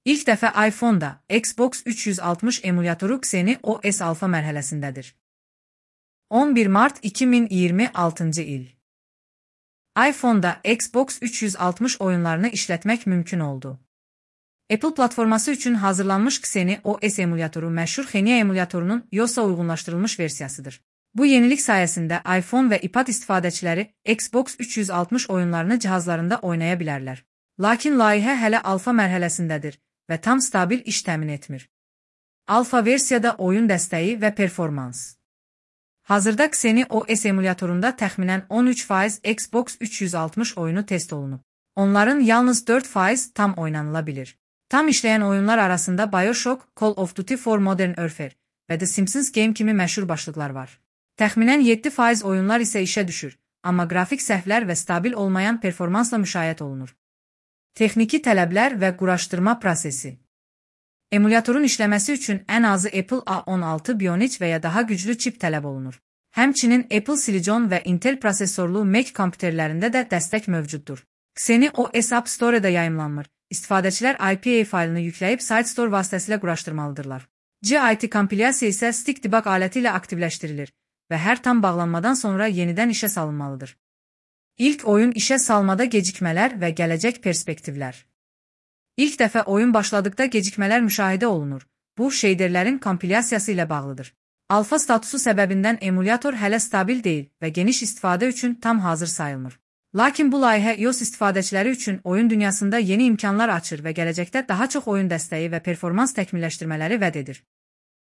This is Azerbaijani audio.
İlk dəfə iPhone-da Xbox 360 emulyatoru Xeni OS alfa mərhələsindədir. 11 mart 2026 il. iPhone-da Xbox 360 oyunlarını işlətmək mümkün oldu. Apple platforması üçün hazırlanmış Xeni OS emulyatoru məşhur Xenia emulyatorunun iOS-a uyğunlaşdırılmış versiyasıdır. Bu yenilik sayəsində iPhone və iPad istifadəçiləri Xbox 360 oyunlarını cihazlarında oynaya bilərlər. Lakin layihə hələ alfa mərhələsindədir və tam stabil iş təmin etmir. Alfa versiyada oyun dəstəyi və performans. Hazırda Xeni OS emulyatorunda təxminən 13% Xbox 360 oyunu test olunub. Onların yalnız 4% tam oynanıla bilir. Tam işləyən oyunlar arasında BioShock, Call of Duty for Modern Warfare və The Simpsons Game kimi məşhur başlıqlar var. Təxminən 7% oyunlar isə işə düşür, amma qrafik səhvlər və stabil olmayan performansla müşayiət olunur. Texniki tələblər və quraşdırma prosesi. Emulyatorun işləməsi üçün ən azı Apple A16 Bionic və ya daha güclü çip tələb olunur. Həmçinin Apple Silicon və Intel prosesorlu Mac kompüterlərində də dəstək mövcuddur. Xeni OS App Store-da yayımlanmır. İstifadəçilər IPA faylını yükləyib SiteStore vasitəsilə quraşdırmalıdırlar. GIT kompilyasiya isə Stick Debug aləti ilə aktivləşdirilir və hər tam bağlanmadan sonra yenidən işə salınmalıdır. İlk oyun işə salmada gecikmələr və gələcək perspektivlər. İlk dəfə oyun başladıqda gecikmələr müşahidə olunur. Bu, şeyderlərin kompilyasiyası ilə bağlıdır. Alfa statusu səbəbindən emulyator hələ stabil deyil və geniş istifadə üçün tam hazır sayılmır. Lakin bu layihə iOS istifadəçiləri üçün oyun dünyasında yeni imkanlar açır və gələcəkdə daha çox oyun dəstəyi və performans təkmilləşdirmələri vəd edir.